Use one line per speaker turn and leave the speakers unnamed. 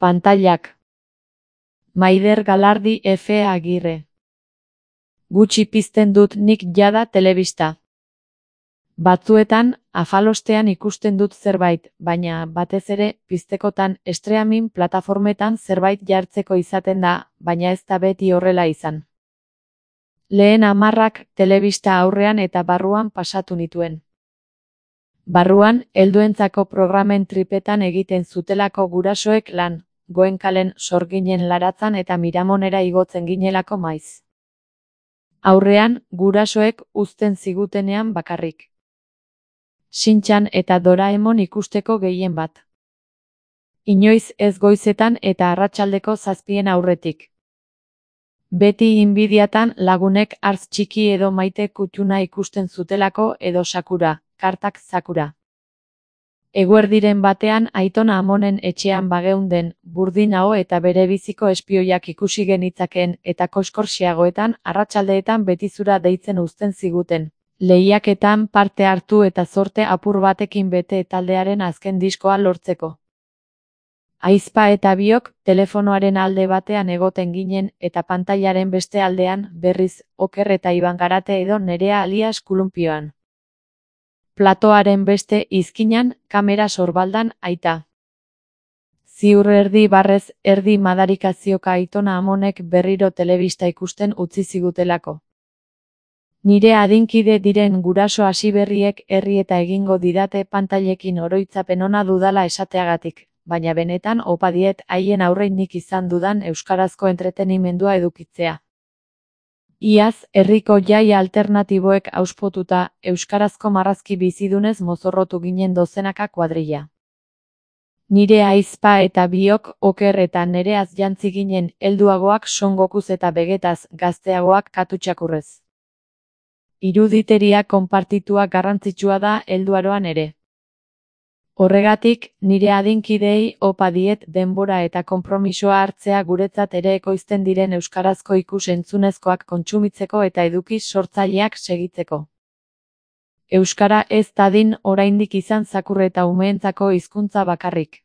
Pantailak. Maider Galardi F. Agirre. Gutxi pizten dut nik jada telebista. Batzuetan, afalostean ikusten dut zerbait, baina batez ere, piztekotan streaming plataformetan zerbait jartzeko izaten da, baina ez da beti horrela izan. Lehen 10 telebista aurrean eta barruan pasatu nituen. Barruan, helduentzako programen tripetan egiten zutelako gurasoek lan, Goenkalen Sorginen Laratzan eta Miramonera igotzen ginelako maiz. Aurrean, gurasoek uzten zigutenean bakarrik. Shin-chan eta Doraemon ikusteko gehien bat. Inoiz ez goizetan eta arratsaldeko 7 aurretik. Beti inbidiatan lagunek Artz txiki edo Maite Kutxuna ikusten zutelako edo Sakura, kartak Sakura. Eguerdiren batean Aiton Amonen etxean bageunden, Burdinao eta bere biziko espioiak ikusi genitzakeen eta koskorxiagoetan arratsaldeetan betizura deitzen uzten ziguten. Lehiaketan parte hartu eta zorte apur batekin bete taldearen azken diskoa lortzeko. Aizpa eta biok telefonoaren alde batean egoten ginen eta pantailaren beste aldean berriz Oker eta Iban Garate edo Nerea alias Kulumpioan. Platoaren beste izkinan, kamera sorbaldan aita. Ziur erdi barrez erdi madarikazioka Aiton Amonek berriro telebista ikusten utzi zigutelako. Nire adinkide diren guraso hasiberriek herri eta egingo didate pantailekin oroitzapen ona dudala esateagatik, baina benetan opa diet haien aurrein nik izan dudan euskarazko entretenimendua edukitzea. Iaz, herriko jai alternatiboek auspotuta, euskarazko marrazki bizidunez mozorrotu ginen dozenaka kuadrilla. Nire aizpa eta biok Oker eta Nereaz jantzi ginen helduagoak Son Gokuz eta Begetaz, gazteagoak Katutxakurrez. Iruditeria konpartitua garrantzitsua da helduaroan ere. Horregatik, nire adinkideei opa diet denbora eta konpromisoa hartzea guretzat ere ekoizten diren euskarazko ikus-entzunezkoak kontsumitzeko eta eduki sortzaileak segitzeko. Euskara ez dadin oraindik izan zakur eta umeentzako hizkuntza bakarrik.